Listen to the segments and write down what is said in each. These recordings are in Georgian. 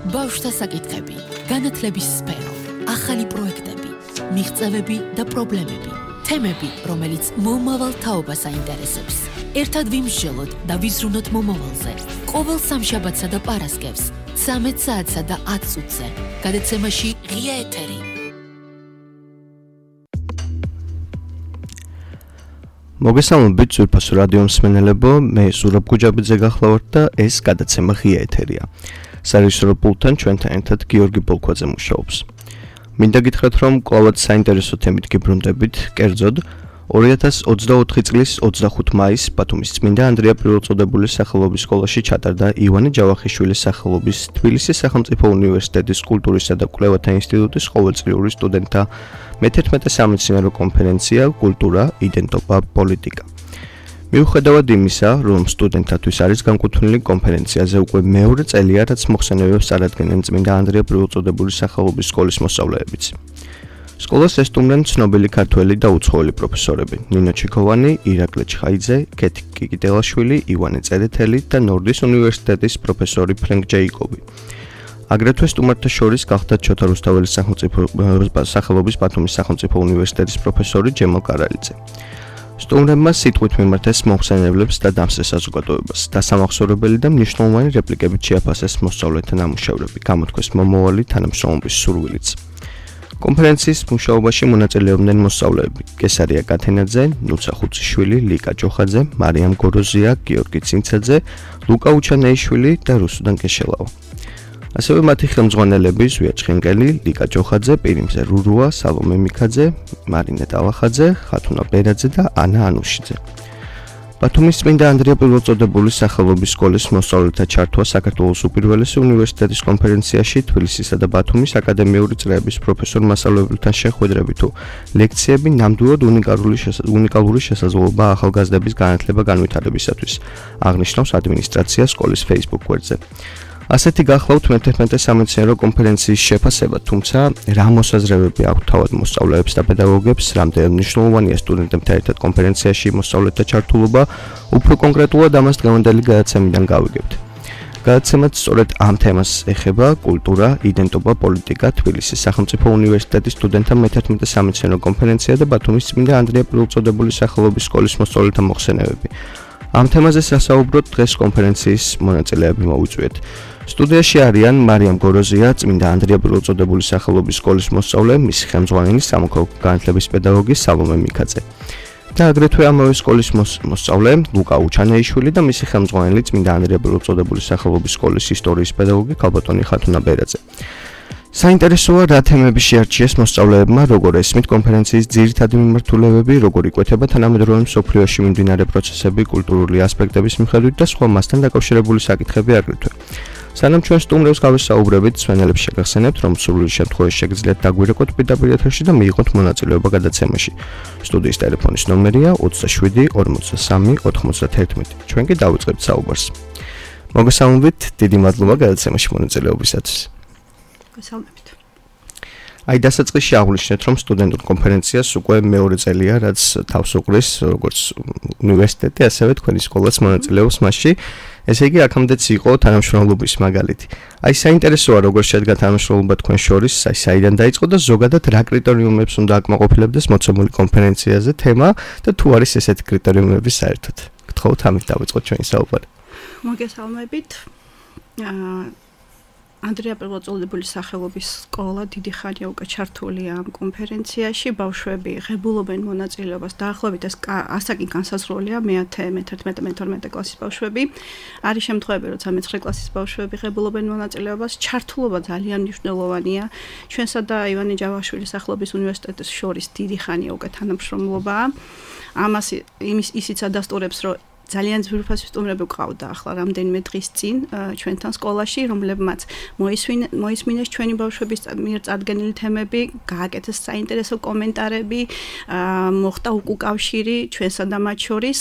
ბავშვთა საკითხები, განათლების სფერო, ახალი პროექტები, მიღწევები და პრობლემები, თემები, რომელიც მომავალ თაობას აინტერესებს. ერთად ვიმსჯელოთ და ვიზრუნოთ მომავალზე. ყოველ სამშაბათსა და პარასკევს, 13 საათსა და 10 წუთზე. გადაცემაში ღია ეთერი. მოგესალმებით ძვირფას რადიო მსმენელებო, მე ზურაბ გუჯაბიძე გახლავართ და ეს გადაცემა ღია ეთერია. სარეჟისორო პულტთან ჩვენთან ერთად გიორგი ბოლქვაძე მუშაობს. მინდა გითხრათ, რომ კვლავად საინტერესო თემით გიბრუნდებით, კერძოდ 2024 წლის 25 მაისს ბათუმის წმინდა ანდრია პირველწოდებულის სახელობის სკოლაში ჩატარდა ივანე ჯავახიშვილის სახელობის თბილისის სახელმწიფო უნივერსიტეტის კულტურისა და კვლევათა ინსტიტუტის ყოველწლიური სტუდენტთა მე-11 სამეცნიერო კონფერენცია კულტურა, იდენტობა, პოლიტიკა. მიუხედავად იმისა, რომ სტუდენტთათვის არის განკუთვნილი კონფერენციაზე უკვე მეორე წელია, რაც მოხსენებებს წარადგენენ წმინდა ანდრია პირველწოდებულის სახელობის სკოლის მოსწავლეებიც. სკოლას ესტუმრენ ცნობილი ქართველი და უცხოელი პროფესორები: ნინო ჩიქოვანი, ირაკლი ჩხაიძე, კეთი კიკიტელაშვილი, ივანე წერეთელი და ნორდის უნივერსიტეტის პროფესორი ფრენკ ჯეიკობი. აგრეთვე სტუმართა შორის გახდათ ჩოთა რუსთაველის სახელობის ბათუმის სახელმწიფო უნივერსიტეტის პროფესორი ჯემალ კარალიძე. სტუმრებმა სიტყვით მიმართეს მოხსენებლებს და დამსწრე საზოგადოებას. დასამახსოვრებელი და მნიშვნელოვანი რეპლიკებით შეაფასეს მოსწავლეთა ნამუშევრები, გამოთქვეს მომავალი თანამშრომლობის სურვილიც. კონფერენციის მუშაობაში მონაწილეობდნენ მოსწავლეები: გესარია კათენაძე, ნუცა ხუციშვილი, ლიკა ჯოხაძე, მარიამ გოროზია, გიორგი ცინცაძე, ლუკა უჩანეიშვილი და რუსუდან კეშელავა. ასევე მათი ხელმძღვანელები ზვია ჩხენკელი, ლიკა ჯოხაძე, პირიმზე რურუა, სალომე მიქაძე, მარინე ტალახაძე, ხათუნა ბერაძე და ანა ანუშიძე. ბათუმის წმინდა ანდრია პირველწოდებულის სახელობის სკოლის მოსწავლეთა ჩართვა საქართველოს უპირველესი უნივერსიტეტის კონფერენციაში თბილისისა და ბათუმის აკადემიური წრეების პროფესორ-მასწავლებელთან შეხვედრები თუ ლექციები ნამდვილად უნიკალური შესაძლებლობა ახალგაზრდების განათლება განვითარებისათვის, აღნიშნავს ადმინისტრაცია სკოლის Facebook გვერდზე. ასეთი გახლავთ მე-11 სამეცნიერო კონფერენციის შეფასება, თუმცა რა მოსაზრებები აქვთ თავად მოსწავლეებს და პედაგოგებს, რამდენად მნიშვნელოვანია სტუდენტებთან ერთად კონფერენციაში მოსწავლეთა ჩართულობა, უფრო კონკრეტულად ამას დღევანდელი გადაცემიდან გავიგებთ. გადაცემაც სწორედ ამ თემას ეხება: კულტურა, იდენტობა, პოლიტიკა, თბილისის სახელმწიფო უნივერსიტეტის სტუდენტთა მე-11 სამეცნიერო კონფერენცია და ბათუმის წმინდა ანდრია პირველწოდებულის სახელობის სკოლის მოსწავლეთა მოხსენებები. ამ თემაზე სასაუბროდ დღეს კონფერენციის მონაწილეები მოვიწვიეთ. სტუდიაში არიან მარიამ გოროზია, წმინდა ანდრია პირველწოდებულის სახელობის სკოლის მოსწავლე, მისი ხელმძღვანელი სამოქალაქო განათლების პედაგოგი სალომე მიქაძე. და აგრეთვე ამავე სკოლის მოსწავლე ლუკა უჩანეიშვილი და მისი ხელმძღვანელი წმინდა ანდრია პირველწოდებულის სახელობის სკოლის ისტორიის პედაგოგი ქალბატონი ხათუნა ბერაძე. საინტერესოა რა თემები შეარჩიეს მოსწავლეებმა, როგორ ესმით კონფერენციის ძირითადი მიმართულებები, როგორ იკვეთება თანამედროვე მსოფლიოში მიმდინარე პროცესები კულტურული ასპექტების მიხედვით და სხვა მასთან დაკავშირებული საკითხები აგრეთვე. სანამ ჩვენ სტუმრებს გავესაუბრებით, მსმენელებს შეგახსენებთ, რომ სრული შემთხვევაში შეგიძლიათ დაგვირეკოთ პირდაპირ ეთერში და მიიღოთ მონაწილეობა გადაცემაში. სტუდიის ტელეფონის ნომერია 27 43 91. ჩვენ კი დავიწყებთ საუბარს. მოგესალმებით, დიდი მადლობა გადაცემაში მონაწილეობისათვის. გასალმებით. აი დასაწყისში აღვნიშნეთ, რომ სტუდენტურ კონფერენციას უკვე მეორე წელია, რაც თავს უყრის როგორც უნივერსიტეტი, ასევე თქვენი სკოლაც მონაწილეობს მასში. ესე იგი, აქამდეც იყო თანამშრომლობის მაგალითი. აი საინტერესოა, როგორ შედგა თანამშრომლობა თქვენ შორის, აი საიდან დაიწყო და ზოგადად რა კრიტერიუმებს უნდა აკმაყოფილებდეს მოცემული კონფერენციაზე თემა და თუ არის ესეთი კრიტერიუმები საერთოდ. გთხოვთ ამით დავიწყოთ ჩვენი საუბარი. მოგესალმებით. ანდრია პირველწოდებულის სახელობის სკოლა დიდი ხანია უკვე ჩართულია ამ კონფერენციაში. ბავშვები ღებულობენ მონაწილეობას, დაახლოებით ეს ასაკი განსაზღვრულია: მე-10, მე-11, მე-12 კლასის ბავშვები. არის შემთხვევები, როცა მე-9 კლასის ბავშვები ღებულობენ მონაწილეობას. ჩართულობა ძალიან მნიშვნელოვანია. ჩვენსა და ივანე ჯავახიშვილის სახელობის უნივერსიტეტის შორის დიდი ხანია უკვე თანამშრომლობაა. ამას ისიც ადასტურებს, რომ ძალიან ძვირფასი სტუმრები გვყავდა ახლა რამდენიმე დღის წინ ჩვენთან სკოლაში, რომლებმაც მოისმინეს ჩვენი ბავშვების მიერ წარდგენილი თემები, გააკეთეს საინტერესო კომენტარები, მოხდა უკავშირი ჩვენსა და მათ შორის.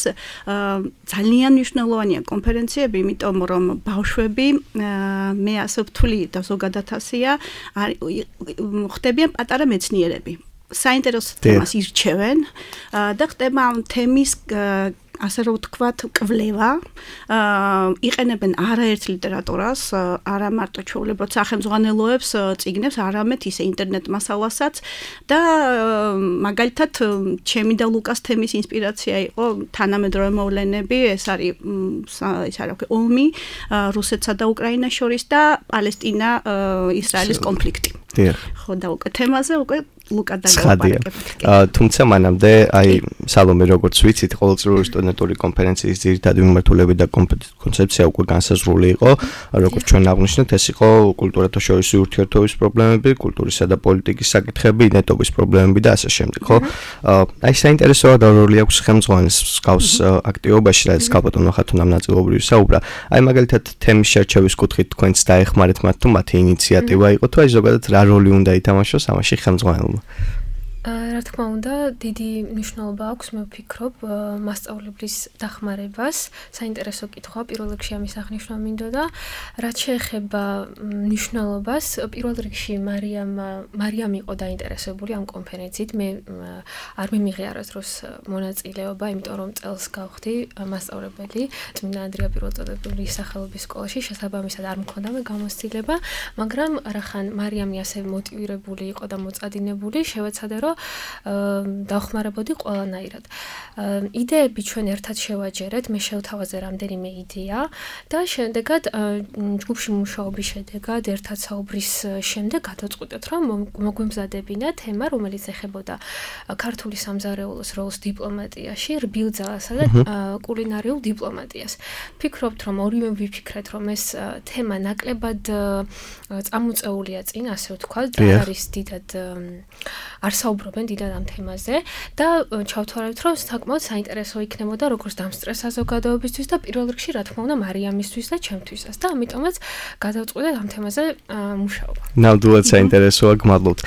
ძალიან მნიშვნელოვანია კონფერენციები, იმიტომ რომ ბავშვები, მე ასე ვთვლი და ზოგადად ასეა, ხდებიან პატარა მეცნიერები. საინტერესო თემას ირჩევენ და ხდება ამ თემის ასე რომ ვთქვათ, კვლევა, იყენებენ არაერთ ლიტერატურას, არა მარტო ჩვეულებრივ სახელმძღვანელოებს, წიგნებს, არამედ ისე ინტერნეტ მასალასაც და მაგალითად ჩემი და ლუკას თემის ინსპირაცია იყო თანამედროვე მოვლენები, ეს არის ომი რუსეთსა და უკრაინას შორის და პალესტინა ისრაელის კონფლიქტი. ხო და უკვე თემაზე უკვე ლუკა დაგავაპარაკებთ. თუმცა მანამდე აი სალომე როგორც ვიცით ყოველწლიური სტუდენტური კონფერენციის ძირითადი მიმართულება და კონცეფცია უკვე განსაზღვრული იყო, როგორც ჩვენ აღვნიშნეთ, ეს იყო კულტურათა შორისი ურთიერთობის პრობლემები, კულტურისა და პოლიტიკის საკითხები, ნეტობის პრობლემები და ასე შემდეგ, ხო? აი საინტერესოა და როლი აქვს ხელმძღვანელს მსგავს აქტივობაში, რაც გალბატონო ხათუნამ ნაწილობრივ საუბრა. აი მაგალითად თემის შერჩევის კუთხით თქვენც დაეხმარეთ მათ თუ მათი ინიციატივა იყო თუ აი ზოგადად რა როლი უნდა ითამაშოს ამაში ხელმძღვანელმა? რა თქმა უნდა, დიდი მნიშვნელობა აქვს, მე ვფიქრობ, მასწავლებლის დახმარებას. საინტერესო კითხვა, პირველ რიგში ამის აღნიშვნა მინდოდა. რაც შეეხება მნიშვნელობას, პირველ რიგში მარიამ იყო დაინტერესებული ამ კონფერენციით. მე არ მიმიღე არასდროს მონაწილეობა, იმიტომ რომ წელს გავხდი მასწავლებელი წმინდა ანდრია პირველწოდებრივი სახელობის სკოლაში, შესაბამისად არ მქონდა მე გამოცდილება, მაგრამ რახან მარიამი ასე მოტივირებული იყო და მოწადინებული, შევეცადე რომ დავხმარებოდი ყველანაირად. იდეები ჩვენ ერთად შევაჯერეთ, მე შევთავაზე რამდენიმე იდეა და შემდეგად ჯგუფში მუშაობის შედეგად ერთად საუბრის შემდეგ გადავწყვიტეთ, რომ მოგვემზადებინა თემა, რომელიც ეხებოდა ქართული სამზარეულოს როლს დიპლომატიაში, რბილ ძალასა და კულინარიულ დიპლომატიას. ვფიქრობთ, რომ ორივე ვიფიქრეთ, რომ ეს თემა ნაკლებად წამოწეულია წინ, ასე ვთქვათ, და არის დიდად არ საუბრობენ დიდად ამ თემაზე და ჩავთვალებთ, რომ საკმაოდ საინტერესო იქნებოდა როგორც დამსწრე საზოგადოებისთვის და პირველ რიგში რა თქმა უნდა მარიამისთვის და ჩემთვისაც და ამიტომაც გადავწყვიტეთ ამ თემაზე მუშაობა. ნამდვილად საინტერესოა, გმადლობთ.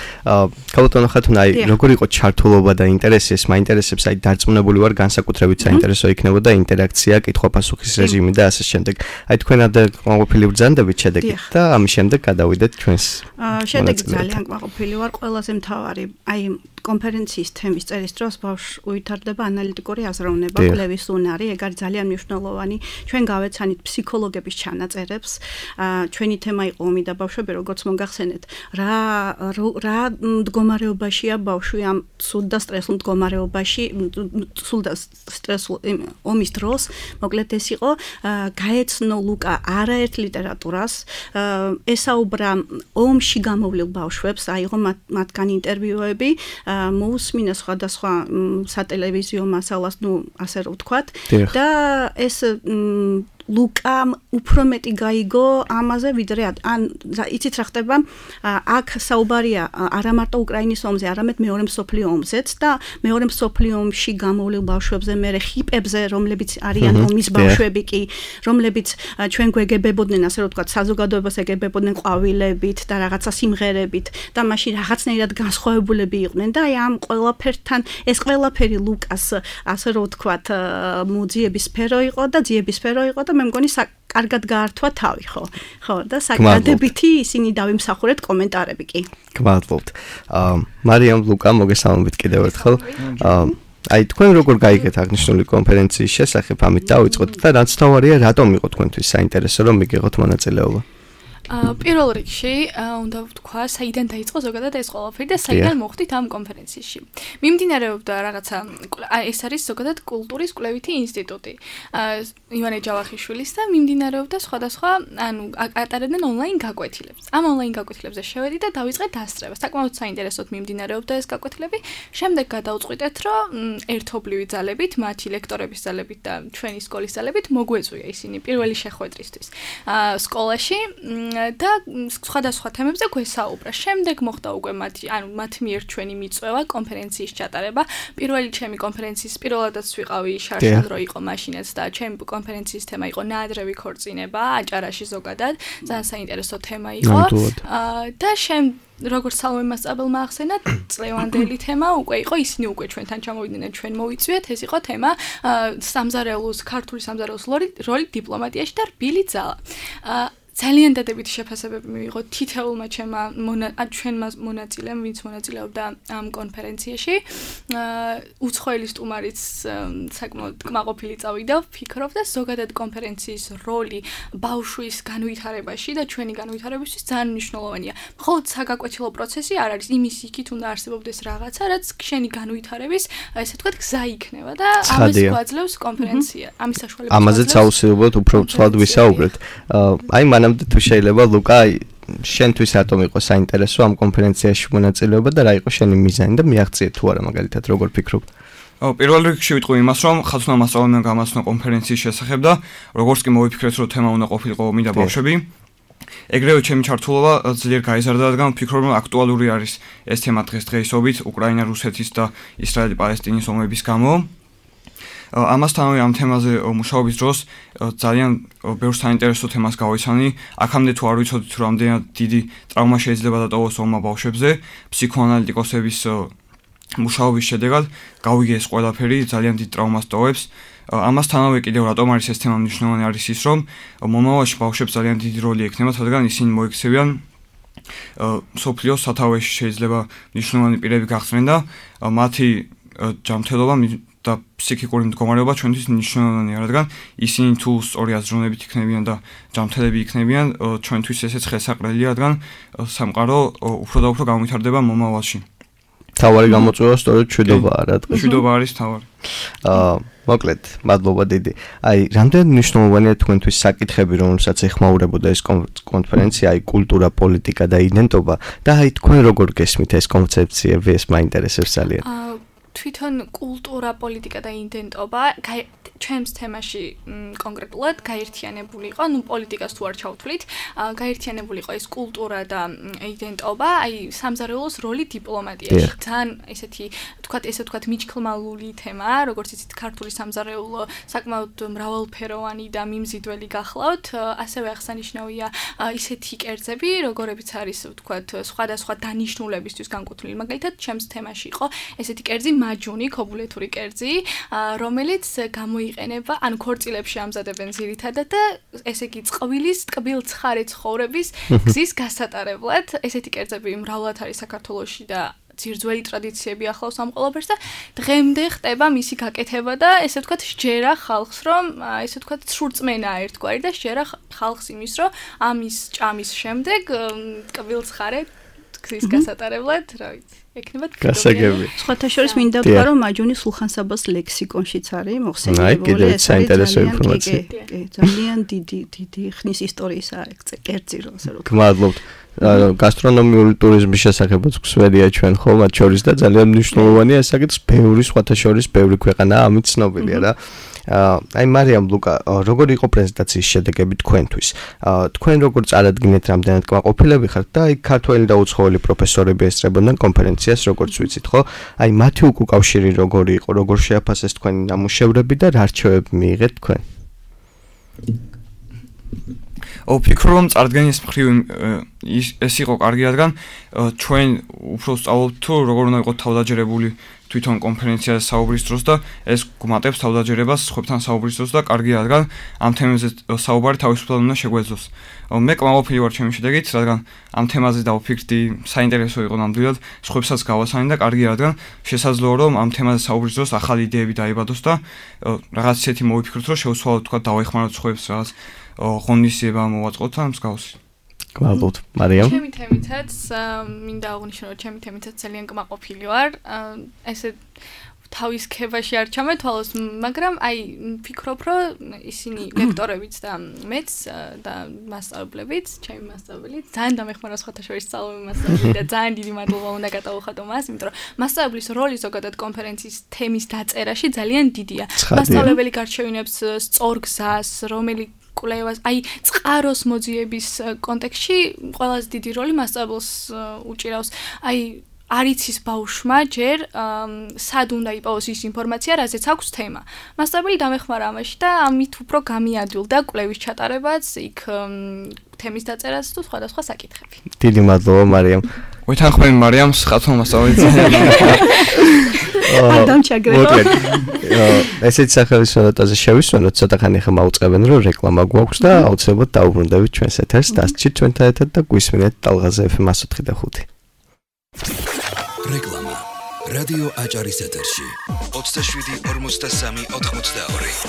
გალბატონო ხათუნა, აი როგორ იყო ჩართულობა და ინტერესი, ეს მაინტერესებს, აი დარწმუნებული ვარ განსაკუთრებით საინტერესო იქნებოდა ინტერაქცია, კითხვა-პასუხის რეჟიმი და ასე შემდეგ. აი თქვენ კმაყოფილი ბრძანდებით შედეგით და ამის შემდეგ გადავიდეთ ჩვენს შედეგი ძალიან კმაყოფილი ვარ, ყველაზე მთავარი აი კონფერენციის თემის წერის დროს ბავშვს უვითარდება ანალიტიკური აზროვნება, კვლევის უნარი, ეგ არის ძალიან მნიშვნელოვანი. ჩვენ გავეცანით ფსიქოლოგების ჩანაწერებს. ჩვენი თემა იყო ომი და ბავშვები, როგორც მოგახსენეთ, რა მდგომარეობაშია ბავშვი ამ ცუდ და სტრესულ მდგომარეობაში, ცუდ და სტრესულ ომის დროს. მოკლედ ეს იყო გაეცნო ლუკა არაერთ ლიტერატურას, ესაუბრა ომში გამოვლილ ბავშვებს, აიღო მათგან ინტერვიუები, მოусმინა სხვადასხვა სატელევიზიო მასალას, ასე რომ ვთქვათ, და ეს ლუკამ უფრო მეტი გაიგო ამაზე, ვიდრე ან იცით რა ხდება, აქ საუბარია არა მარტო უკრაინის ომზე, არამედ მეორე მსოფლიო ომზეც და მეორე მსოფლიო ომში გამოვლილ ბავშვებზე, მერე ხიპებზე, რომლებიც არიან ომის ბავშვები კი, რომლებიც ჩვენ გვეგებებოდნენ, ასე რომ ვთქვათ, საზოგადოებას ეგებებოდნენ ყვავილებით და რაღაცა სიმღერებით და მაშინ რაღაცნაირად განსხვავებულები იყვნენ და აი ამ ყველაფერთან ეს ყველაფერი ლუკას, ასე რომ ვთქვათ, მოძიების სფერო იყო და ძიების სფერო იყო და მე მგონი კარგად გაართვა თავი, ხო და საკადებითი ისინი დავიმსახურეთ კომენტარები კი. გმადლობთ. მარიამ, ლუკა, მოგესალმებით კიდევ ერთხელ. აი თქვენ როგორ გაიგეთ აღნიშნული კონფერენციის შესახებ, ამით დავიწყოთ და რაც თავარია, რატომ იყო თქვენთვის საინტერესო რომ მიგიღოთ მონაწილეობა? პირველ რიგში უნდა ვთქვა, საიდან დაიწყო ზოგადად ეს ყველაფერი და საიდან მოხვდით ამ კონფერენციაში. მიმდინარეობდა რაღაცა, ეს არის ზოგადად კულტურის კვლევითი ინსტიტუტი. ივანე ჯავახიშვილის და მიმდინარეობდა სხვადასხვა, ატარებდნენ ონლაინ გაკვეთილებს. ამ ონლაინ გაკვეთილებზე შევედი და დავიწყე დასწრება. საკმაოდ საინტერესოდ მიმდინარეობდა ეს გაკვეთილები. შემდეგ გადავწყვიტეთ, რომ ერთობლივი ძალებით, მათი ლექტორების ძალებით და ჩვენი სკოლის ძალებით მოგვეწვია ისინი პირველი შეხვედრისთვის სკოლაში. და სხვადასხვა თემებზე გვესაუბრა. შემდეგ მოხდა უკვე მათ მიერ ჩვენი მიწვევა კონფერენციის ჩატარება. პირველი ჩემი კონფერენციის პირველადაც ვიყავი შარშანდრო იყო მაშინაც და ჩემი კონფერენციის თემა იყო ნაადრევი ქორწინება აჭარაში ზოგადად. ძალიან საინტერესო თემა იყო. და როგორც სალომე მასწავლებელმა ახსენა, წლევანდელი თემა უკვე იყო, ისინი უკვე ჩვენთან ჩამოვიდნენ, ჩვენ მოვიწვიეთ, ეს იყო თემა სამზარეულოს, ქართული სამზარეულოს როლი დიპლომატიაში და რბილი ძალა. ძალიან დადებითი შეფასებები მივიღო თითოეულმა ჩვენმა მონაწილემ, ვინც მონაწილეობდა ამ კონფერენციაში. უცხოელი სტუმარიც საკმაოდ კმაყოფილი წავიდა, ვფიქრობ და ზოგადად კონფერენციის როლი ბავშვის განვითარებაში და ჩვენი განვითარებისთვის ძალიან მნიშვნელოვანია. მხოლოდ საგაკვეთილო პროცესი არ არის, იმის იქით უნდა არსებობდეს რაღაცა, რაც შენი განვითარების, ესე ვთქვათ, გზა იქნება და ამას გვაძლევს კონფერენცია. ამის საშუალებით ამაზეც აუცილებლად უფრო ცვლად ვისაუბრეთ. აი მანამდე თუ შეიძლება ლუკა შენთვის რატომ იყო საინტერესო ამ კონფერენციაში მონაწილეობა და რა იყო შენი მიზანი და მიაღწიე თუ არა მაგალითად როგორ ფიქრობ? პირველ რიგში ვიტყვი იმას, რომ ხაზუნა მასწავლებლმა გამაცნო კონფერენციის შესახებ და როგორც კი მოვიფიქრეთ, რომ თემა უნდა ყოფილიყო ომი და ბავშვები. ეგრევე ჩემი ჩართულობა ძლიერ გაიზარდა, რადგან ვფიქრობ, რომ აქტუალური არის ეს თემა დღესდღეობით უკრაინა, რუსეთის და ისრაელი-პალესტინის ომების გამო. ამასთანავე ამ თემაზე მუშაობის დროს ძალიან ბევრ საინტერესო თემას გავიცანი. აქამდე თუ არ ვიცოდით, რომ რამდენად დიდი ტრავმა შეიძლება დატოვოს ომმა ბავშვებზე, ფსიქოანალიტიკოსების მუშაობის შედეგად გავიგე ეს ყველაფერი ძალიან დიდ ტრავმას ტოვებს. ამასთანავე კიდევ რატომ არის ეს თემა მნიშვნელოვანი არის ის, რომ მომავალში ბავშვებს ძალიან დიდი როლი ექნებათ, რადგან ისინი მოიქცევიან სოფლიოს სათავეში შეიძლება მნიშვნელოვანი პირები გახსნენ და მათი ჯანმრთელობა და ფსიქიკური მდგომარეობა ჩვენთვის მნიშვნელოვანია, რადგან ისინი თუ სწორი აზროვნებით იქნებიან და ჯანმრთელები იქნებიან, ჩვენთვის ესეც ხელსაყრელია, რადგან სამყარო უფრო და უფრო განვითარდება მომავალში. თავარი გამოწვევა სწორედ მშვიდობაა რა დღეს. მშვიდობა არის თავარი. მოკლედ, მადლობა დიდი. აი, რამდენად მნიშვნელოვანია თქვენთვის საკითხები, რომელსაც ეხმაურებოდა ეს კონფერენცია, აი, კულტურა, პოლიტიკა და იდენტობა და აი, თქვენ როგორ გესმით ეს კონცეფციები, ეს მაინტერესებს ძალიან. თვითონ კულტურა, პოლიტიკა და იდენტობა ჩემს თემაში კონკრეტულად გაერთიანებული იყო, ну პოლიტიკას თუ არ ჩავთვლით, გაერთიანებული იყო ეს კულტურა და იდენტობა, აი სამზარეულოს როლი დიპლომატიაში. ძალიან ესეთი ვთქვათ მიჩქლმალული თემაა, როგორც იცით, ქართული სამზარეულო საკმაოდ მრავალფეროვანი და მიმზიდველი გახლავთ, ასევე აღსანიშნავია ისეთი კერძები, როგორებიც არის ვთქვათ სხვადასხვა დანიშნულებისთვის განკუთვნილი. მაგალითად, ჩემს თემაში იყო ესეთი კერძი მაჯუნი, ქობულეთური კერძი, რომელიც გამოიყენება, ან ქორწილებში ამზადებენ ძირითადად და ესე იგი წყვილის ტკბილ ცხარე ცხოვრების გზის გასატარებლად. ესეთი კერძები მრავლად არის საქართველოში და ძირძველი ტრადიციები ახლავს ამ ყველაფერს და დღემდე ხდება მისი გაკეთება და ესე ვთქვათ სჯერა ხალხს, რომ ესე ვთქვათ სურწმენაა ერთგვარი და სჯერა ხალხს იმის, რომ ამის ჭამის შემდეგ ტკბილ ცხარე გზის გასატარებლად, რა ვიცი. გასაგები. სხვათა შორის მინდა ვთქვა, რომ მაჯუნი სულხან-საბას ლექსიკონშიც არის მოხსენიებული. აი, კიდევ საინტერესო ინფორმაცია. ძალიან დიდი ხნის ისტორიისა კერძი რო ასე რომ. გმადლობთ. გასტრონომიული ტურიზმის შესახებაც გვსვენია ჩვენ ხო, მათ შორის და ძალიან მნიშვნელოვანია ეს საკითხი, ბევრი სხვათა შორის ბევრი ქვეყანაა ამით ცნობილია რა. აი მარიამ ლუკა, როგორი იყო პრეზენტაციის შედეგები თქვენთვის? თქვენ როგორ წარადგინეთ, რამდენად კმაყოფილები ხართ და აი ქართველი და უცხოელი პროფესორები ესწრებოდნენ კონფერენციას, როგორც ვიცით, ხო? აი მათი უკავშირი როგორი იყო, როგორ შეაფასეს თქვენი ნამუშევრები და რა რჩევები მიიღეთ თქვენ? ვფიქრობ, რომ წარდგენის მხრივ ეს იყო კარგი, რადგან ჩვენ უფრო სწავლობთ თუ როგორ უნდა იყოს თავდაჯერებული თვითონ კონფერენციაზე საუბრის დროს და ეს გვმატებს თავდაჯერებას სხვებთან საუბრის დროს და კარგია, რადგან ამ თემაზე საუბარი თავისუფლად უნდა შეგვეძლოს. მე კმაყოფილი ვარ ჩემი შედეგით, რადგან ამ თემაზე დავფიქრდი, საინტერესო იყო ნამდვილად, სხვებსაც გავასანი და კარგია, რადგან შესაძლოა რომ ამ თემაზე საუბრის დროს ახალი იდეები დაიბადოს და რაღაც ისეთი მოვიფიქროთ, რომ შევცვალოთ, თქვა დავეხმაროთ სხვებს რაღაც ღონისძიება მოვაწყოთ და მსგავსი. გმადლობთ, მარიამ. ჩემი თემითაც მინდა აღვნიშნო, რომ ჩემი თემითაც ძალიან კმაყოფილი ვარ. ესე თავის ქებაში არ ჩამეთვალოს, მაგრამ აი ვფიქრობ, რომ ისინი ლექტორებიც და მეც და მასწავლებლებიც, ჩემი მასწავლებელი, ძალიან დამეხმარა სხვათა შორის სწავლობი მასწავლებელი და ძალიან დიდი მადლობა უნდა გადავუხადო მას, იმიტომ რომ მასწავლებლის როლი ზოგადად კონფერენციის თემის დაწერაში ძალიან დიდია. მასწავლებელი გარჩევინებს სწორ გზას, რომელიც კვლევას, აი წყაროს მოძიების კონტექსტში ყველაზე დიდი როლი მასწავლებელს უჭირავს. აი არ იცის ბავშვმა ჯერ სად უნდა იპოვოს ის ინფორმაცია, რაზეც აქვს თემა. მასწავლებელი დამეხმარა ამაში და ამით უფრო გამიადვილდა კვლევის ჩატარებაც, იქ თემის დაწერაც თუ სხვადასხვა საკითხები. დიდი მადლობა მარიამ. ვეთანხმები მარიამს, ხათო მასწავლებელი. ადამ ჩაგრეხო. ესეც სახელის ნოტაზე შევისვენოთ, ცოტა ხანი ხა მაუწყებენ, რომ რეკლამა გვაქვს და აუცილებლად დაუბრუნდებით ჩვენს ეთერს, დასჭით ჩვენთან ერთად და გვისმინეთ ტალღაზე FM 104.5. რეკლამა რადიო აჭარის ეთერში 27-43-82.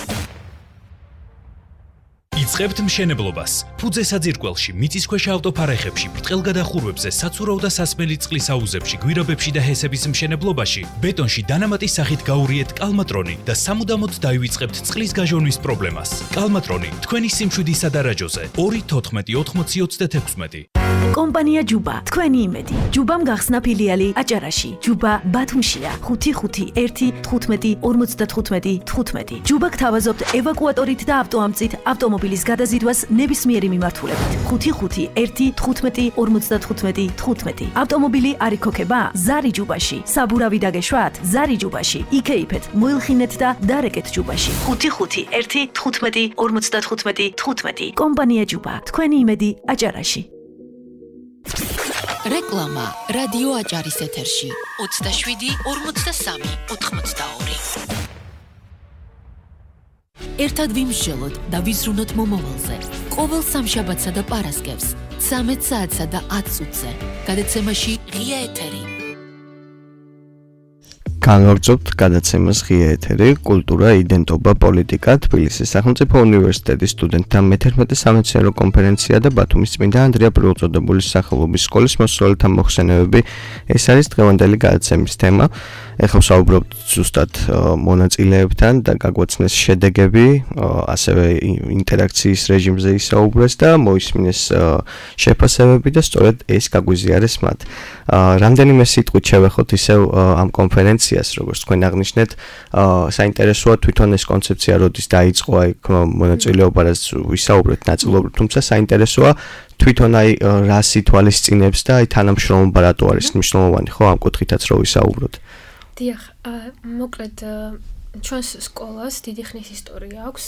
იწყებთ მშენებლობას. ფუძე საძირკველში, მიწისქვეშა ავტოფარეხებში, ბრტყელგადახურვებზე, საცურაო და სასმელი წყლის აუზებში, გვირაბებში და ჰესების მშენებლობაში, ბეტონში დანამატის სახით გაურიეთ კალმატრონი და სამუდამოდ დაივიწყებთ წყლის გაჟონვის პრობლემას. კალმატრონი თქვენი სიმშვიდისა დარაჯოზე 2-14-80-36. კომპანია ჯუბა, თქვენი იმედი. ჯუბამ გახსნა ფილიალი აჭარაში. ჯუბა ბათუმშია. 55515-15-55-15. ჯუბა გთავაზობთ ევაკუატორით და ავტოამწით ავტომობილის გადაზიდვას ნებისმიერი მიმართულებით. 55515-15-55-15. ავტომობილი არ იქოქება? ზარი ჯუბაში. საბურავი დაგეშვათ? ზარი ჯუბაში. იქეიფეთ, მოილხინეთ და დარეკეთ ჯუბაში. 55515-15-55-15. კომპანია ჯუბა, თქვენი იმედი აჭარაში. რეკლამა რადიო აჭარის ეთერში 27-43-82. ერთად ვიმსჯელოთ და ვიზრუნოთ მომავალზე. ყოველ სამშაბათსა და პარასკევს 13 საათსა და 10 წუთზე. გადაცემაში ღია ეთერი. განვაგრძობთ გადაცემას ღია ეთერი, კულტურა, იდენტობა, პოლიტიკა, თბილისის სახელმწიფო უნივერსიტეტის სტუდენტთა მე-11 სამეცნიერო კონფერენცია და ბათუმის წმინდა ანდრია პირველწოდებულის სახელობის სკოლის მოსწავლეთა მოხსენებები. ეს არის დღევანდელი გადაცემის თემა. ეხლა ვსაუბრობთ ზუსტად მონაწილეებთან და გაგვაცნეს შედეგები, ასევე ინტერაქციის რეჟიმზე ისაუბრეს და მოისმინეს შეფასებები და სწორედ ეს გაგვიზიარეს მათ. რამდენიმე სიტყვით შევეხოთ ისევ ამ კონფერენციას, როგორც თქვენ აღნიშნეთ, საინტერესოა თვითონ ეს კონცეფცია როდის დაიწყო, აი მონაწილეობა რაც ვისაუბრეთ ნაწილობრივ, თუმცა საინტერესოა თვითონ აი რა სიტუალისწინებს და აი თანამშრომლობა რატო არის მნიშვნელოვანი, ხო, ამ კუთხითაც რო ვისაუბროთ. დიახ, მოკლედ ჩვენს სკოლას დიდი ხნის ისტორია აქვს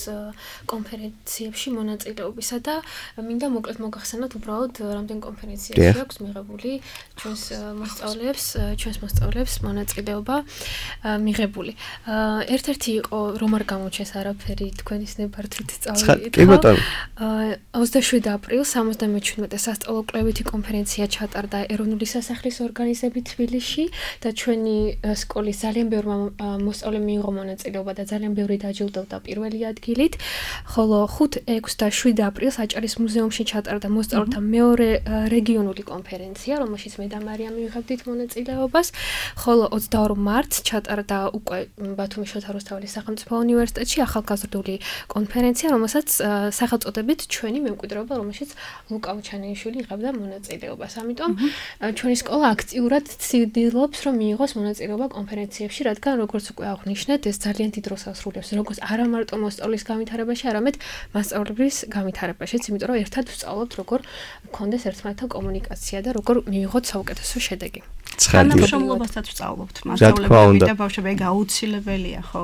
კონფერენციებში მონაწილეობისა და მინდა მოკლედ მოგახსენოთ უბრალოდ რამდენ კონფერენციაში აქვს მიღებული ჩვენს მოსწავლეებს მონაწილეობა მიღებული. ერთ-ერთი იყო რომ არ გამოჩეს არაფერი თქვენის ნებართვით სწავლით. 27 აპრილს 77 სასწავლო კვლევითი კონფერენცია ჩატარდა ეროვნული სასახლის ორგანიზებით თბილისში და ჩვენი სკოლის ძალიან ბევრმა მოსწავლემ მიიღო მონაწილეობა და ძალიან ბევრი დაჯილდოვდა პირველი ადგილით, ხოლო 5, 6 და 7 აპრილს აჭარის მუზეუმში ჩატარდა მოსწავლეთა მეორე რეგიონული კონფერენცია, რომელშიც მე და მარიამ მივიღებდით მონაწილეობას, ხოლო 22 მარტს ჩატარდა უკვე ბათუმის შოთა რუსთაველის სახელმწიფო უნივერსიტეტში ახალგაზრდული კონფერენცია, რომელსაც სახელწოდებით ჩვენი მემკვიდრეობა, რომელშიც ლუკა უჩანეიშვილი იღებდა მონაწილეობას. ამიტომ ჩვენი სკოლა აქტიურად ცდილობს, რომ მიიღოს მონაწილეობა კონფერენციებში, რადგან როგორც უკვე აღნიშნეთ, ეს ძალიან დიდ როლს ასრულებს, როგორც არა მარტო მოსწავლის განვითარებაში, არამედ მასწავლებლის განვითარებაშიც, იმიტომ რომ ერთად ვსწავლობთ, როგორ გქონდეს ერთმანეთთან კომუნიკაცია და როგორ მივიღოთ საუკეთესო შედეგი. თანამშრომლობასაც ვსწავლობთ მასწავლებლები და ბავშვები, აუცილებელია, ხო?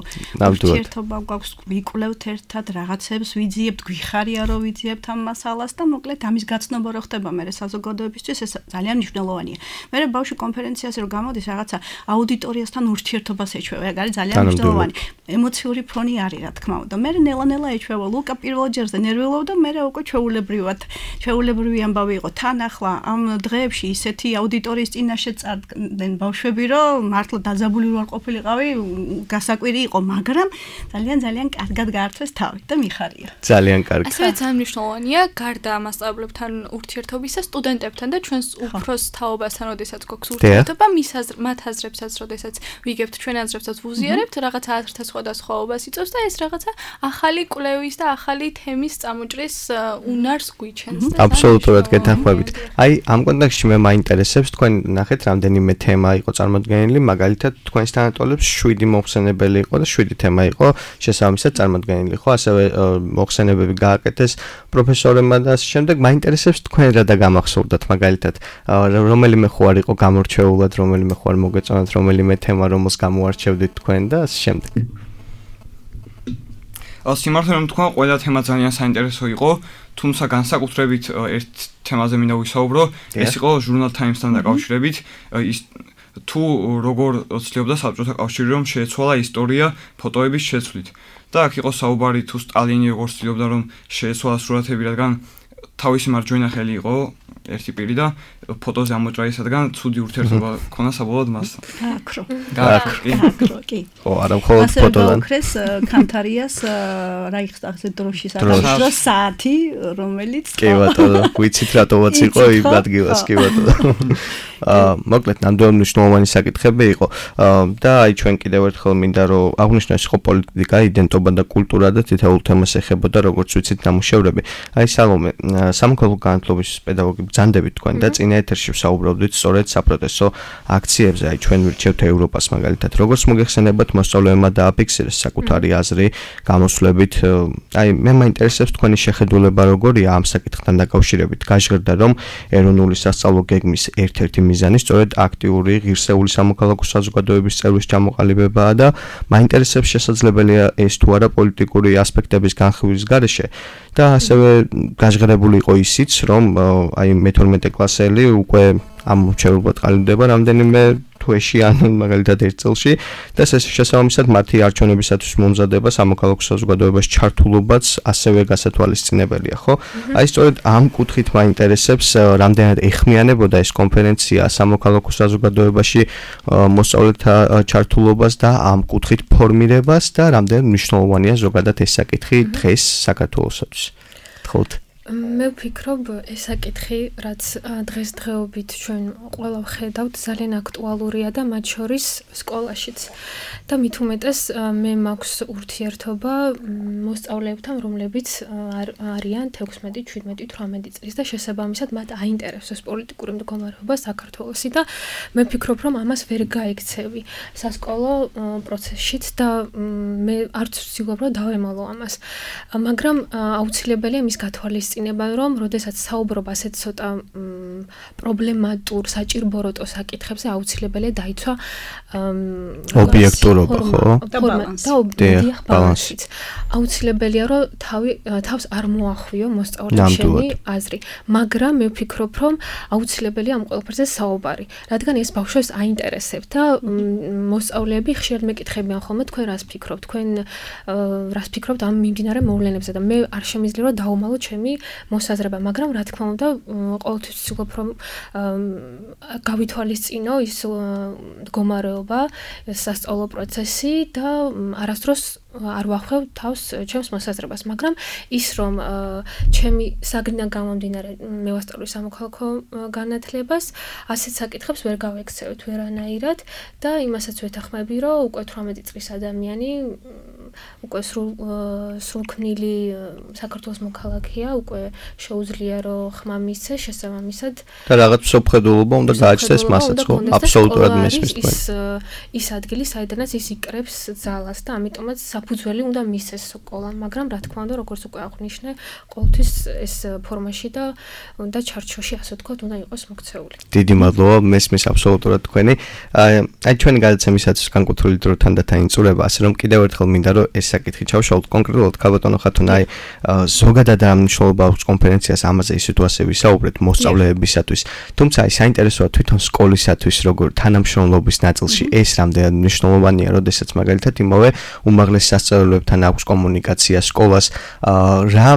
ურთიერთობა გვაქვს, ვიკვლევთ ერთად რაღაცებს, ვიძიებთ, გვიხარია რომ ვიძიებთ ამ მასალას და მოკლედ ამის გაცნობა რო ხდება მე საზოგადოებისთვის, ეს ძალიან მნიშვნელოვანია. მე ბავშვი კონფერენციაზე რო გამოდის, რაღაცა აუდიტორიასთან ურთიერთობას ეჩვევა, ეგ არის ძალიან მნიშვნელოვანი. ემოციური ფონი არის, რა თქმა უნდა. მე ნელა-ნელა ეჩვევა, ლუკა პირველ ჯერზე ნერვიულობდა, მე უკვე ჩვეულებრივი ამბავი იყო. თან ახლა ამ დღეებში ისეთი აუდიტორიის წინაშე წარდგნენ ბავშვები, რომ მართლა დაძაბული ვარ ყოფილიყავი, გასაკვირი იყო, მაგრამ ძალიან კარგად გაართვეს თავი და მიხარია. ძალიან კარგი. ასევე ძალიან მნიშვნელოვანია გარდა მასწავლებლებთან ურთიერთობისა, სტუდენტებთან და ჩვენს უფროს თაობასთან, როდესაც გვაქვს ურთიერთობა, მათ აზრებსაც, როდესაც ვიგებთ ჩვენ აზრებსაც ვუზიარებთ, რაღაცა აზრთა სხვადასხვაობას იწვევს და ეს რაღაცა ახალი კვლევის და ახალი თემის წამოჭრის უნარს გვიჩენს. აბსოლუტურად გეთანხმებით. აი ამ კონტექსტში მე მაინტერესებს თქვენ ნახეთ რამდენიმე თემა იყო წარმოდგენილი, მაგალითად თქვენს თანატოლებს 7 მოხსენებელი იყო და 7 თემა იყო შესაბამისად წარმოდგენილი, ხო? ასევე მოხსენებები გააკეთეს პროფესორებმა და ასე შემდეგ. მაინტერესებს თქვენ რა და გამახსოვდათ მაგალითად რომელიმე ხო არ იყო გამორჩეულად, რომელიმე ხო არ მოგეწონათ, რომელიმე თემა რომელს გამოარჩევდით თქვენ და ასე შემდეგ. სიმართლე რომ თქვა, ყველა თემა ძალიან საინტერესო იყო, თუმცა განსაკუთრებით ერთ თემაზე მინდა ვისაუბრო, ეს იყო ჟურნალ Times-თან დაკავშირებით, ის თუ როგორ ცდილობდა საბჭოთა კავშირი რომ შეეცვალა ისტორია ფოტოების შეცვლით. და აქ იყო საუბარი თუ სტალინი როგორ ცდილობდა რომ შეეცვალა სურათები, რადგან თავისი მარჯვენა ხელი იყო ერთი პირი და ფოტოზე ამოჭრა ისადგან ცუდი ურთიერთობა ქონა საბოლოოდ მასთან. გააკრო, კი. ო, არა მხოლოდ ფოტოდან. ასე კანთარიას რაიხსტაგზე დროშის აღწერა საათი, რომელიც კი ბატონო, ვიცით რატომაც იყო იმ ადგილას, კი ბატონო. მოკლედ ნამდვილად მნიშვნელოვანი საკითხები იყო და აი ჩვენ კიდევ ერთხელ მინდა რომ აღნიშნოს იყო პოლიტიკა, იდენტობა და კულტურა და თითოეულ თემას ეხებოდა როგორც ვიცით ნამუშევრები. აი სალომე, სამოქალაქო განათლების პედაგოგი ბრძანდებით თქვენ და წინა ეთერში ვსაუბრობდით სწორედ საპროტესტო აქციებზე, აი ჩვენ ვირჩევთ ევროპას მაგალითად. როგორც მოგეხსენებათ მოსწავლეებმა დააფიქსირეს საკუთარი აზრი გამოსვლებით. აი მე მაინტერესებს თქვენი შეხედულება როგორია ამ საკითხთან დაკავშირებით. გაჟღერდა რომ ეროვნული სასწავლო გეგმის ერთ-ერთი მიზანი სწორედ აქტიური ღირსეული სამოქალაქო საზოგადოების წევრის ჩამოყალიბებაა და მაინტერესებს შესაძლებელია ეს თუ არა პოლიტიკური ასპექტების განხილვის გარეშე და ასევე გაჟღერებული იყო ისიც რომ აი მე-12 კლასელი უკვე ამ მრჩევლად ყალიბდება რამდენიმე თვეში ან მაგალითად ერთ წელში და შესაბამისად მათი არჩევნებისათვის მომზადება სამოქალაქო საზოგადოებას ჩართულობაც ასევე გასათვალისწინებელია, ხო? აი სწორედ ამ კუთხით მაინტერესებს რამდენად ეხმიანებოდა ეს კონფერენცია სამოქალაქო საზოგადოებაში მოსწავლეთა ჩართულობას და ამ კუთხით ფორმირებას და რამდენად მნიშვნელოვანია ზოგადად ეს საკითხი დღეს საქართველოსთვის. თხოვთ. მე ვფიქრობ ეს საკითხი რაც დღესდღეობით ჩვენ ყველა ვხედავთ ძალიან აქტუალურია და მათ შორის სკოლაშიც და მით უმეტეს მე მაქვს ურთიერთობა მოსწავლეებთან რომლებიც არიან 16, 17, 18 წლის და შესაბამისად მათ აინტერესებს პოლიტიკური მდგომარეობა საქართველოსი და მე ვფიქრობ რომ ამას ვერ გაიქცევი სასკოლო პროცესშიც და მე არც ვცდილობ რომ დავემალო ამას მაგრამ აუცილებელია მის გათვალისწინება რომ როდესაც საუბრობ ასეთ ცოტა პრობლემატურ საჭირბოროტო საკითხებზე აუცილებელია დაიცვა ობიექტურობა ხო? და ბალანსიც. აუცილებელია რომ თავს არ მოახვიო მოსწავლეების აზრი, მაგრამ მე ვფიქრობ რომ აუცილებელია ამ ყველაფერზე საუბარი, რადგან ეს ბავშვებს აინტერესებთ და მოსწავლეები ხშირად მეკითხებიან ხოლმე თქვენ რას ფიქრობთ, თქვენ რას ფიქრობთ ამ მიმდინარე მოვლენებზე და მე არ შემიძლია რომ დავუმალო ჩემი მოსაზრება, მაგრამ რა თქმა უნდა ყოველთვის ვცდილობ რომ გავითვალისწინო ის მდგომარეობა, სასწავლო პროცესი და არასდროს არ ვახვევ თავს ჩემს მოსაზრებას, მაგრამ ის რომ ჩემი საგნიდან გამომდინარე მე ვასწავლი სამოქალაქო განათლებას, ასეთ საკითხებს ვერ გავექცევთ ვერანაირად და იმასაც ვეთანხმები, რომ უკვე 18 წლის ადამიანი უკვე სრულქმნილი საქართველოს მოქალაქეა, უკვე შეუძლია რომ ხმა მისცეს შესაბამისად და რაღაც მსოფლმხედველობა უნდა გააჩნდეს მასაც, ხო? აბსოლუტურად მესმის თქვენ. ის ადგილი, საიდანაც ის იკრებს ძალას და ამიტომაც საფუძველი უნდა მისცეს სკოლამ, მაგრამ რა თქმა უნდა, როგორც უკვე აღნიშნე, ყოველთვის ეს ფორმაში და უნდა ჩარჩოში, ასე ვთქვათ, უნდა იყოს მოქცეული. დიდი მადლობა, მესმის აბსოლუტურად თქვენი. აი ჩვენი გადაცემისათვის განკუთვნილი დროთან და თანწურება, ასე რომ კიდევ ერთხელ მინდა რომ ეს საკითხი ჩავშალოთ კონკრეტულად ქალბატონო ხათუნა, აი ზოგადად ამ მნიშვნელობა აქვს კონფერენციას, ამაზე ისეთ ასე ვისაუბრეთ მოსწავლეებისათვის. თუმცა აი საინტერესოა თვითონ სკოლისათვის როგორ თანამშრომლობის ნაწილში ეს რამდენად მნიშვნელოვანია, როდესაც მაგალითად იმავე უმაღლეს სასწავლებლებთან აქვს კომუნიკაცია სკოლას, რა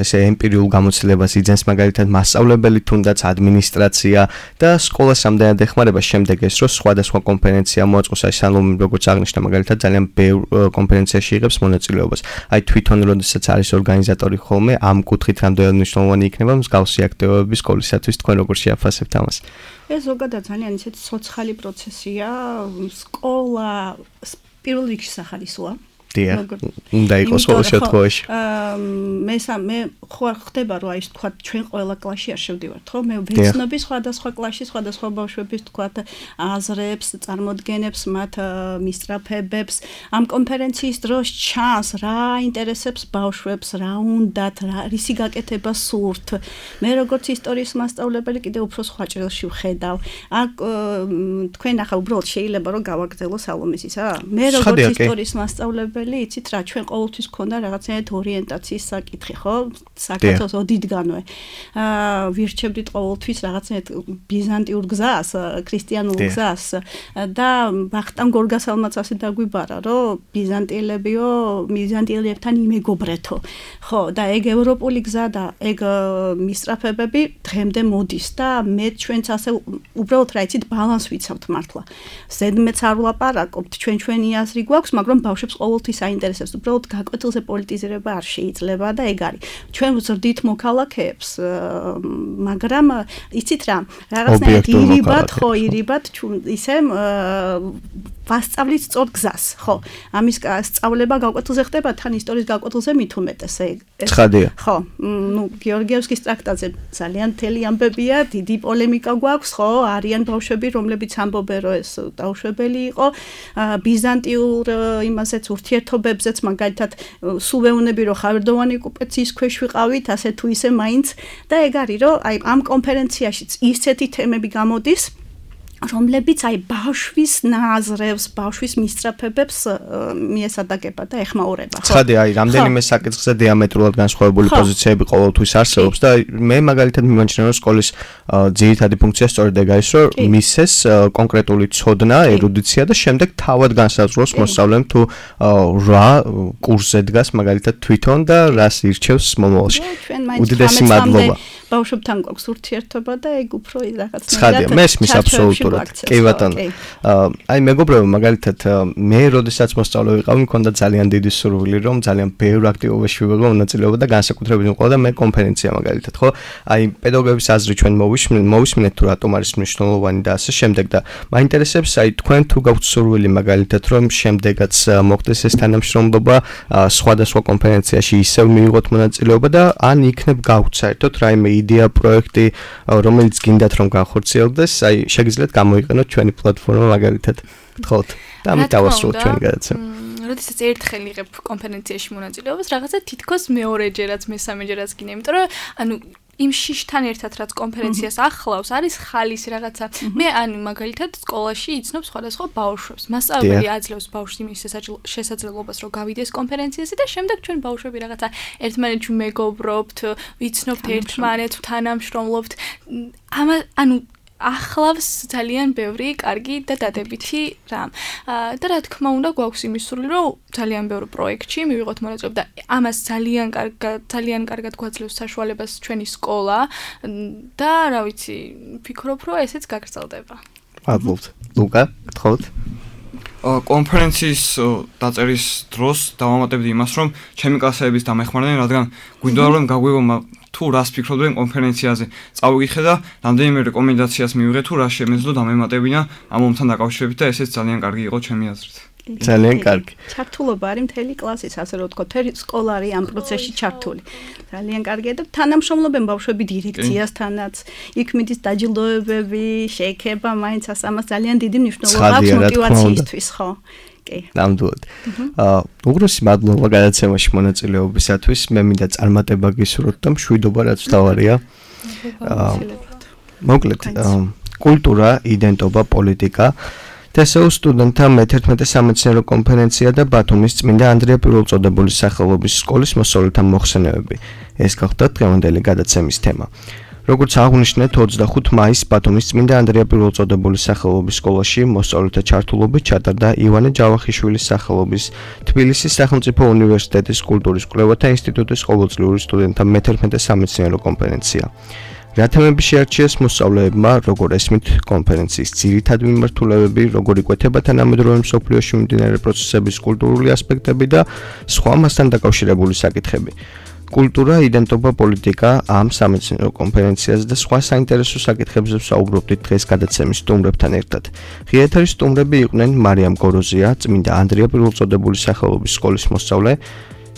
ესე ემპირიულ გამოცდილებას იძენს მაგალითად მასწავლებელი თუნდაც ადმინისტრაცია და სკოლას რამდენად ეხმარება შემდეგ ეს რომ სხვადასხვა კონფერენცია მოაწყოს, აი სალომე როგორც აღნიშნა მაგალითად ძალიან ბევრ კონფერენციაში იღებს მონაწილეობას. აი თვითონ როდესაც არის ორგანიზატორი ხოლმე ამ კუთხით რამდენად მნიშვნელოვანი იქნება მსგავსი აქტივობები სკოლისათვის, თქვენ როგორ შეაფასებთ ამას? ეს ზოგადად ძალიან ისეთი ცოცხალი პროცესია, სკოლა პირველ რიგში სახალისოა. უნდა იყოს ყოველ შემთხვევაში. მე ხوار ხდება რომ აი ეს თქვა ჩვენ ყველა კლასში არ შევდივართ, ხო? მე ვეცნობი სხვადასხვა კლასში სხვადასხვა ბავშვების თქვა აზრებს, წარმოდგენებს, მათ მისწრაფებებს. ამ კონფერენციის დროს ჩანს რა ინტერესებს ბავშვებს, რა უნდათ, რისი გაკეთება სურთ. მე როგორც ისტორიის მასწავლებელი კიდევ უფრო სხვა ჭრილში ვხედავ. აქ თქვენ ახლა უბრალოდ შეიძლება რომ გავაგრძელო სალომეს ისა? მე როგორც ისტორიის მასწავლებელი პირველი, იცით რა, ჩვენ ყოველთვის ქონდა რაღაცნაირად ორიენტაციის საკითხი, ხო? საქართველოს ოდითგანვე. ვირჩევდით ყოველთვის რაღაცნაირად ბიზანტიურ გზას, ქრისტიანულ გზას და ვახტანგ გორგასალმაც ასე დაგვიბარა, რომ ბიზანტიელებთან იმეგობრეთო. ხო, და ეგ ევროპული გზა და ეგ მისწრაფებები დღემდე მოდის და მე ჩვენც ასე უბრალოდ რა იცით ბალანს ვიცავთ მართლა. ზედმეც არ ვლაპარაკობთ, ჩვენი აზრი გვაქვს, მაგრამ ბავშვებს ყოველთვის აინტერესებს. უბრალოდ გაკვეთილზე პოლიტიზირება არ შეიძლება და ეგ არის. ჩვენ ვზრდით მოქალაქეებს, მაგრამ იცით რა, რაღაცნაირად ირიბად ისე ვასწავლით სწორ გზას, ხო. ამის სწავლება გაკვეთილზე ხდება, თან ისტორიის გაკვეთილზე მით უმეტეს ეგ. ცხადია. ხო, გიორგიევსკის ტრაქტატზე ძალიან მთელი ამბებია, დიდი პოლემიკა გვაქვს, ხო, არიან ბავშვები, რომლებიც ამბობენ, რომ ეს დაუშვებელი იყო, ბიზანტიურ იმასეც ურთიერთობებზეც, მაგალითად, სულ ვეუბნები, რომ ხავერდოვანი ოკუპაციის ქვეშ ვიყავით, ასე თუ ისე მაინც და ეგ არის, რომ აი ამ კონფერენციაშიც ისეთი თემები გამოდის, რომლებიც აი ბავშვის ნაზრევს, ბავშვის მისწრაფებებს მიესადაგება და ეხმაურება. ხო. ცხადია, აი რამდენიმე საკითხზე დიამეტრულად განსხვავებული პოზიციები ყოველთვის არსებობს და მე მაგალითად მიმაჩნია, რომ სკოლის ძირითადი ფუნქცია სწორედ ეგ არის, რომ მისცეს კონკრეტული ცოდნა, ერუდიცია და შემდეგ თავად განსაზღვროს მოსწავლემ თუ რა კურსზე დგას მაგალითად თვითონ და რას ირჩევს მომავალში. უდიდესი მადლობა. ბავშვებთან გვაქვს ურთიერთობა და ეგ უფრო რაღაცნაირად ცხადია, მესმის აბსოლუტურად. კი ბატონო. აი მეგობრებო, მაგალითად მე როდესაც მოსწავლე ვიყავი, მქონდა ძალიან დიდი სურვილი, რომ ძალიან ბევრ აქტივობაში ვიღო მონაწილეობა და განსაკუთრებით მიყოდა მე კონფერენცია მაგალითად, ხო? აი პედაგოგების აზრი ჩვენ მოვისმინეთ თუ რატომ არის მნიშვნელოვანი და ასე შემდეგ და მაინტერესებს აი თქვენ თუ გაქვთ სურვილი მაგალითად, რომ შემდეგაც მოხდეს ეს თანამშრომლობა სხვადასხვა კონფერენციაში ისევ მიიღოთ მონაწილეობა და ან იქნებ გაქვთ საერთოდ რაიმე იდეა, პროექტი, რომელიც გინდათ რომ განხორციელდეს, აი შეგიძლიათ გამოიყენოთ ჩვენი პლატფორმა მაგალითად. გთხოვთ და ამიტავასრულოთ ჩვენი გადაცემა. როდესაც ერთხელ იღებ კონფერენციაში მონაწილეობას, რაღაცა თითქოს მეორეჯერაც, მესამეჯერაც გინდა, იმიტომ რომ ანუ იმ შიშთან ერთად რაც კონფერენციას ახლავს, არის ხალისი რაღაცა. მე ანუ მაგალითად სკოლაში იცნობ სხვადასხვა ბავშვებს. მასწავლებელი აძლევს ბავშვს იმის შესაძლებლობას, რომ გავიდეს კონფერენციაზე და შემდეგ ჩვენ ბავშვები რაღაცა ერთმანეთში მეგობრობთ, ვიცნობთ ერთმანეთს, თანამშრომლობთ. ანუ ახლავს ძალიან ბევრი კარგი და დადებითი რამ. და რა თქმა უნდა, გვაქვს იმის სურვილი, რომ ძალიან ბევრ პროექტში მივიღოთ მონაწილეობა და ამას ძალიან კარგად გვაძლევს საშუალებას ჩვენი სკოლა და რა ვიცი, ვფიქრობ, რომ ესეც გაგრძელდება. მადლობთ. ლუკა, გთხოვთ. კონფერენციის დაწერის დროს დავამატებდი იმას, რომ ჩემი კლასეების დამეხმარდნენ, რადგან გვინდოდა რომ გაგვიგო თუ რას ფიქრობდნენ კონფერენციაზე. წავიკითხე და რამდენიმე რეკომენდაციას მივიღე თუ რა შემეძლო დამემატებინა ამ ომთან დაკავშირებით და ესეც ძალიან კარგი იყო ჩემი აზრით. ძალიან კარგი. ჩართულობა არის მთელი კლასის, ასე რომ ვთქვა, მთელი სკოლა არის ამ პროცესში ჩართული. ძალიან კარგია და თანამშრომლობენ ბავშვები დირექციასთანაც, იქ მიდის დაჯილდოებები, შეექება მაინც ამას ძალიან დიდი მნიშვნელობა აქვს мотиваციისთვის, ხო? კი. ნამდვილად. უღრესი მადლობა გადაცემაში მონაწილეობისათვის. მე მინდა წარმატება გისურვოთ და მშვიდობა რაც თავარია. მოკლედ, კულტურა, იდენტობა, პოლიტიკა TSO სტუდენტთა მე-11 სამეცნიერო კონფერენცია და ბათუმის წმინდა ანდრია პირველწოდებულის სახელობის სკოლის მოსწავლეთა მოხსენებები. ეს გახდა დღევანდელი გადაცემის თემა. როგორც აღნიშნეთ, 25 მაისს ბათუმის წმინდა ანდრია პირველწოდებულის სახელობის სკოლაში მოსწავლეთა ჩართულობით ჩატარდა ივანე ჯავახიშვილის სახელობის თბილისის სახელმწიფო უნივერსიტეტის კულტურის კვლევათა ინსტიტუტის ყოველწლიური სტუდენტთა მე-11 სამეცნიერო კონფერენცია. რა თემები შეარჩიეს მოსწავლეებმა, როგორ ესმით კონფერენციის ძირითადი მიმართულებები, როგორ იკვეთება თანამედროვე მსოფლიოში მიმდინარე პროცესების კულტურული ასპექტები და სხვა მასთან დაკავშირებული საკითხები. კულტურა, იდენტობა, პოლიტიკა ამ სამეცნიერო კონფერენციაზე და სხვა საინტერესო საკითხებზე ვსაუბრობდით დღეს გადაცემის სტუმრებთან ერთად. ღია ეთერის სტუმრები იყვნენ მარიამ გოროზია, წმინდა ანდრია პირველწოდებულის სახელობის სკოლის მოსწავლე,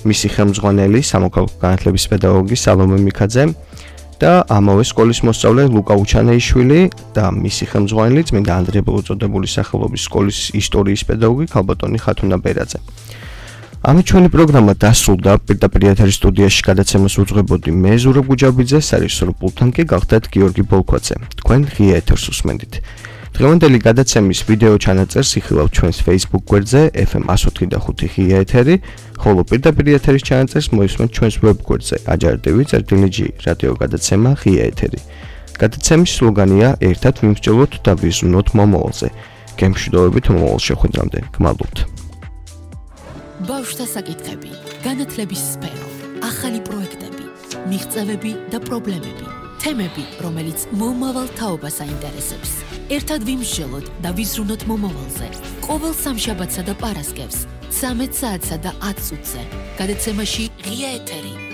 მისი ხელმძღვანელი, სამოქალაქო განათლების პედაგოგი სალომე მიქაძე და ამავე სკოლის მოსწავლე ლუკა უჩანეიშვილი და მისი ხელმძღვანელი წმინდა ანდრია პირველწოდებულის სახელობის სკოლის ისტორიის პედაგოგი ქალბატონი ხათუნა ბერაძე. ამით ჩვენი პროგრამა დასრულდა. პირდაპირ ეთერის სტუდიაში გადაცემას უძღვებოდი მე ზურაბ გუჯაბიძე, სარეჟისორო პულტთან კი გახდათ გიორგი ბოლქვაძე. თქვენ ღია ეთერს უსმენდით. დღევანდელი გადაცემის ვიდეო ჩანაწერს იხილავთ ჩვენს Facebook გვერდზე FM 104.5 ღია ეთერი, ხოლო პირდაპირ ეთერის ჩანაწერს მოისმენთ ჩვენს web გვერდზე ajar.tv/g რადიო გადაცემა ღია ეთერი. გადაცემის სლოგანია ერთად ვიმსჯელოთ და ვიზრუნოთ მომავალზე. გემშვიდობებით მომავალ შეხვედრამდე. გმადლობთ. ბავშვთა საკითხები, განათლების სფერო, ახალი პროექტები, მიღწევები და პრობლემები. თემები, რომელიც მომავალ თაობას აინტერესებს. ერთად ვიმსჯელოთ და ვიზრუნოთ მომავალზე. ყოველ სამშაბათსა და პარასკევს 13 საათსა და 10 წუთზე. გადაცემაში ღია ეთერი.